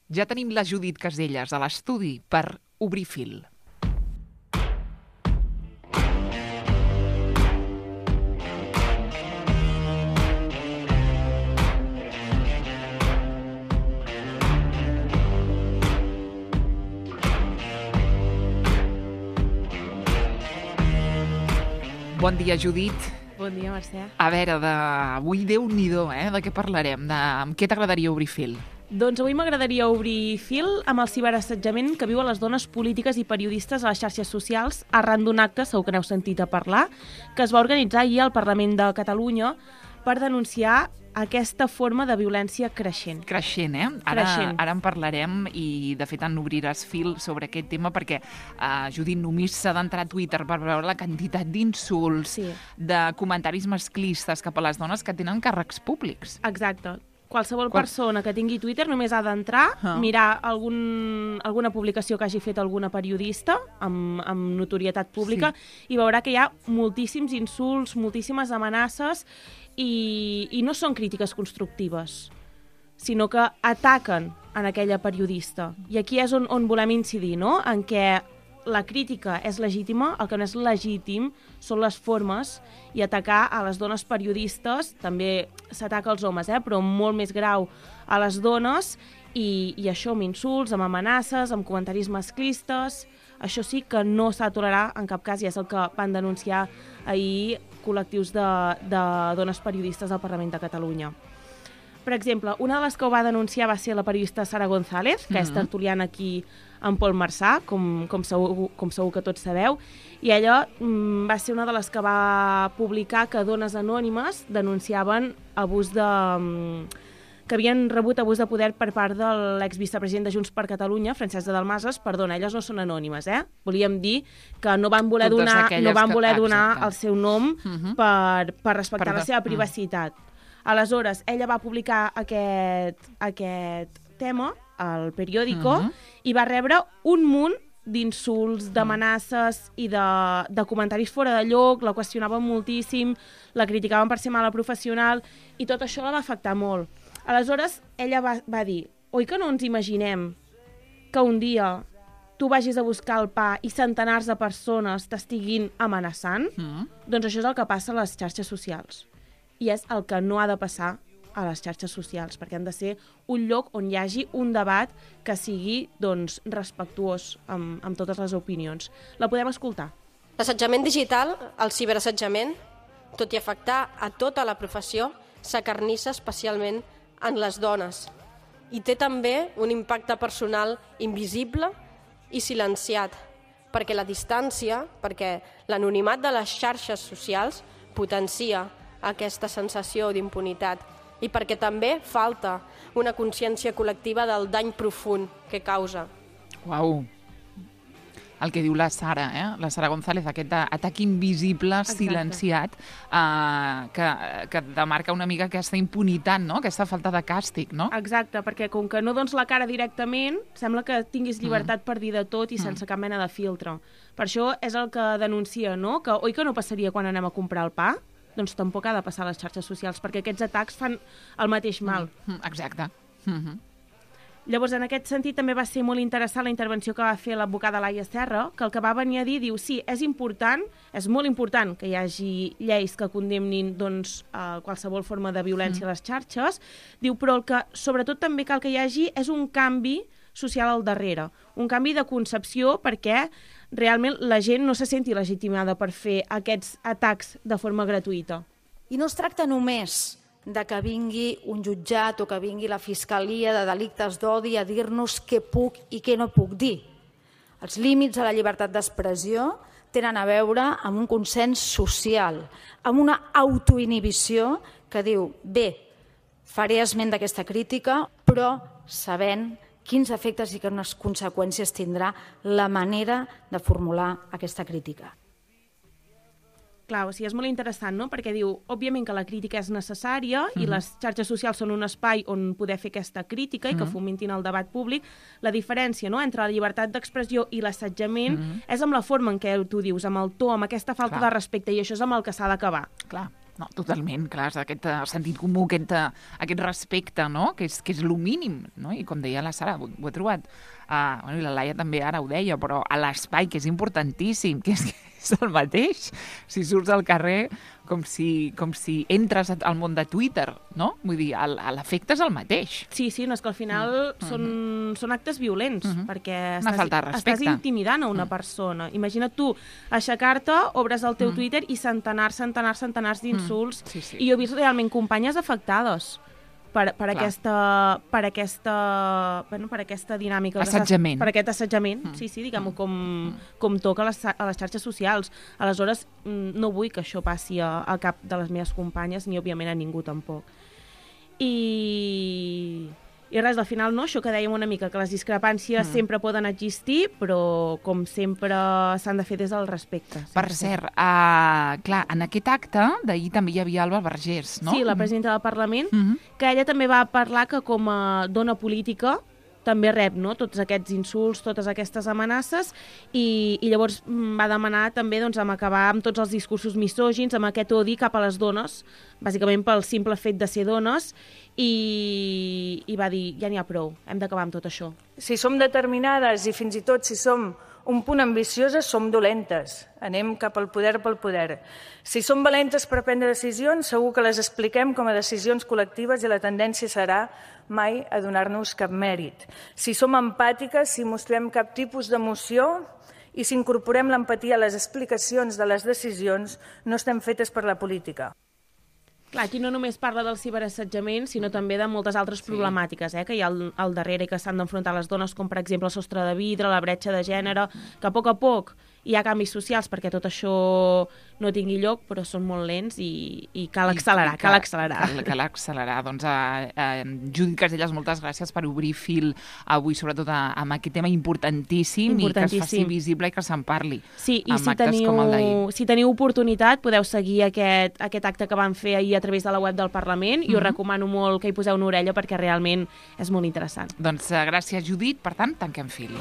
Ja tenim la Judit Caselles a l'estudi per obrir fil. Bon dia, Judit. Bon dia, Mercè. A veure, avui Déu-n'hi-do, de què parlarem? Amb què t'agradaria obrir fil? Doncs avui m'agradaria obrir fil amb el ciberassetjament que viuen les dones polítiques i periodistes a les xarxes socials arran d'un acte, segur que n'heu sentit a parlar, que es va organitzar ahir al Parlament de Catalunya per denunciar aquesta forma de violència creixent. Creixent, Ara en parlarem i, de fet, en obriràs fil sobre aquest tema perquè, Judit, només s'ha d'entrar a Twitter per veure la quantitat d'insults, de comentaris masclistes cap a les dones que tenen càrrecs públics. Exacte. Qualsevol persona que tingui Twitter només ha d'entrar, mirar alguna publicació que hagi fet alguna periodista amb notorietat pública i veurà que hi ha moltíssims insults, moltíssimes amenaces i no són crítiques constructives, sinó que ataquen en aquella periodista. I aquí és on volem incidir, no? En què la crítica és legítima, el que no és legítim són les formes, i atacar a les dones periodistes, també s'ataca als homes, però molt més grau a les dones, i això amb insults, amb amenaces, amb comentaris masclistes. Això sí que no s'ha de tolerar en cap cas, i és el que van denunciar ahir col·lectius de dones periodistes al Parlament de Catalunya. Per exemple, una de les que ho va denunciar va ser la periodista Sara González, que és tertuliana aquí en Pol Marçà, com segur que tots sabeu, i ella va ser una de les que va publicar que dones anònimes denunciaven que havien rebut abús de poder per part de l'exvicepresident de Junts per Catalunya, Francesc de Dalmases. Perdona, elles no són anònimes, Volíem dir que no van voler donar el seu nom per respectar la seva privacitat. Aleshores, ella va publicar aquest tema al periòdico i va rebre un munt d'insults, d'amenaces i de comentaris fora de lloc, la qüestionaven moltíssim, la criticaven per ser mala professional, i tot això la va afectar molt. Aleshores, ella va dir: oi que no ens imaginem que un dia tu vagis a buscar el pa i centenars de persones t'estiguin amenaçant? Doncs això és el que passa a les xarxes socials. I és el que no ha de passar a les xarxes socials, perquè han de ser un lloc on hi hagi un debat que sigui respectuós amb totes les opinions. La podem escoltar. L'assetjament digital, el ciberassetjament, tot i afectar a tota la professió, s'acarnissa especialment en les dones. I té també un impacte personal invisible i silenciat, perquè la distància, perquè l'anonimat de les xarxes socials potencia aquesta sensació d'impunitat, i perquè també falta una consciència col·lectiva del dany profund que causa. Uau! El que diu la Sara, la Sara González, aquest atac invisible, silenciat, que demarca una mica aquesta impunitat, no? Aquesta falta de càstig, no? Exacte, perquè com que no dones la cara directament, sembla que tinguis llibertat per dir de tot i sense cap mena de filtre. Per això és el que denuncia, no? Que oi que no passaria quan anem a comprar el pa? Doncs tampoc ha de passar a les xarxes socials, perquè aquests atacs fan el mateix mal. Exacte. Llavors, en aquest sentit, també va ser molt interessant la intervenció que va fer l'advocada Laia Serra, que el que va venir a dir, diu, sí, és molt important que hi hagi lleis que condemnin qualsevol forma de violència a les xarxes, diu, però el que sobretot també cal que hi hagi és un canvi social al darrere, un canvi de concepció perquè realment la gent no se senti legitimada per fer aquests atacs de forma gratuïta. I no es tracta només de que vingui un jutjat o que vingui la Fiscalia de Delictes d'Odi a dir-nos què puc i què no puc dir. Els límits a la llibertat d'expressió tenen a veure amb un consens social, amb una autoinhibició que diu, bé, faré esment d'aquesta crítica, però sabent quins efectes i quines conseqüències tindrà la manera de formular aquesta crítica. Clar, o sigui, és molt interessant, no? Perquè diu, òbviament que la crítica és necessària i les xarxes socials són un espai on poder fer aquesta crítica i que fomentin el debat públic. La diferència, no?, entre la llibertat d'expressió i l'assetjament és amb la forma en què tu dius, amb el to, amb aquesta falta de respecte, i això és amb el que s'ha d'acabar. Clar. No, totalment, clar, és aquest sentit comú, aquest respecte, no?, que és el mínim, no? I com deia la Sara, ho he trobat, i la Laia també ara ho deia, però a l'espai, que és importantíssim, que és el mateix. Si surts al carrer, com si entres al món de Twitter, no? Vull dir, l'efecte és el mateix. Sí, no, és que al final són actes violents, perquè estàs intimidant a una persona. Imagina't tu aixecar-te, obres el teu Twitter i centenars d'insults. I jo he vist realment companyes afectades per aquesta dinàmica. Assetjament. Per aquest assetjament, diguem-ho, com toca a les xarxes socials. Aleshores, no vull que això passi a cap de les meves companyes, ni òbviament a ningú tampoc. I res, al final, no? Això que dèiem una mica, que les discrepàncies sempre poden existir, però, com sempre, s'han de fer des del respecte. Per cert, clar, en aquest acte d'ahir també hi havia Alba Vergés, no? Sí, la presidenta del Parlament, que ella també va parlar que com a dona política també rep, no?, tots aquests insults, totes aquestes amenaces, i llavors va demanar també acabar amb tots els discursos misògins, amb aquest odi cap a les dones, bàsicament pel simple fet de ser dones, i va dir, ja n'hi ha prou, hem d'acabar amb tot això. Si som determinades i fins i tot si som un punt ambicioses, som dolentes. Anem cap al poder pel poder. Si som valentes per prendre decisions, segur que les expliquem com a decisions col·lectives i la tendència serà mai a donar-nos cap mèrit. Si som empàtiques, si mostrem cap tipus d'emoció i si incorporem l'empatia a les explicacions de les decisions, no estem fetes per la política. Clar, aquí no només parla del ciberassetjament, sinó també de moltes altres problemàtiques que hi ha al darrere i que s'han d'enfrontar les dones, com per exemple el sostre de vidre, la bretxa de gènere, que a poc hi ha canvis socials perquè tot això no tingui lloc, però són molt lents i cal accelerar. Cal accelerar. Doncs, Judit Casellas, moltes gràcies per obrir fil avui, sobretot amb aquest tema importantíssim i que es faci visible i que se'n parli. Sí, i si teniu oportunitat podeu seguir aquest acte que van fer ahir a través de la web del Parlament i us recomano molt que hi poseu una orella perquè realment és molt interessant. Doncs gràcies, Judit. Per tant, tanquem fil.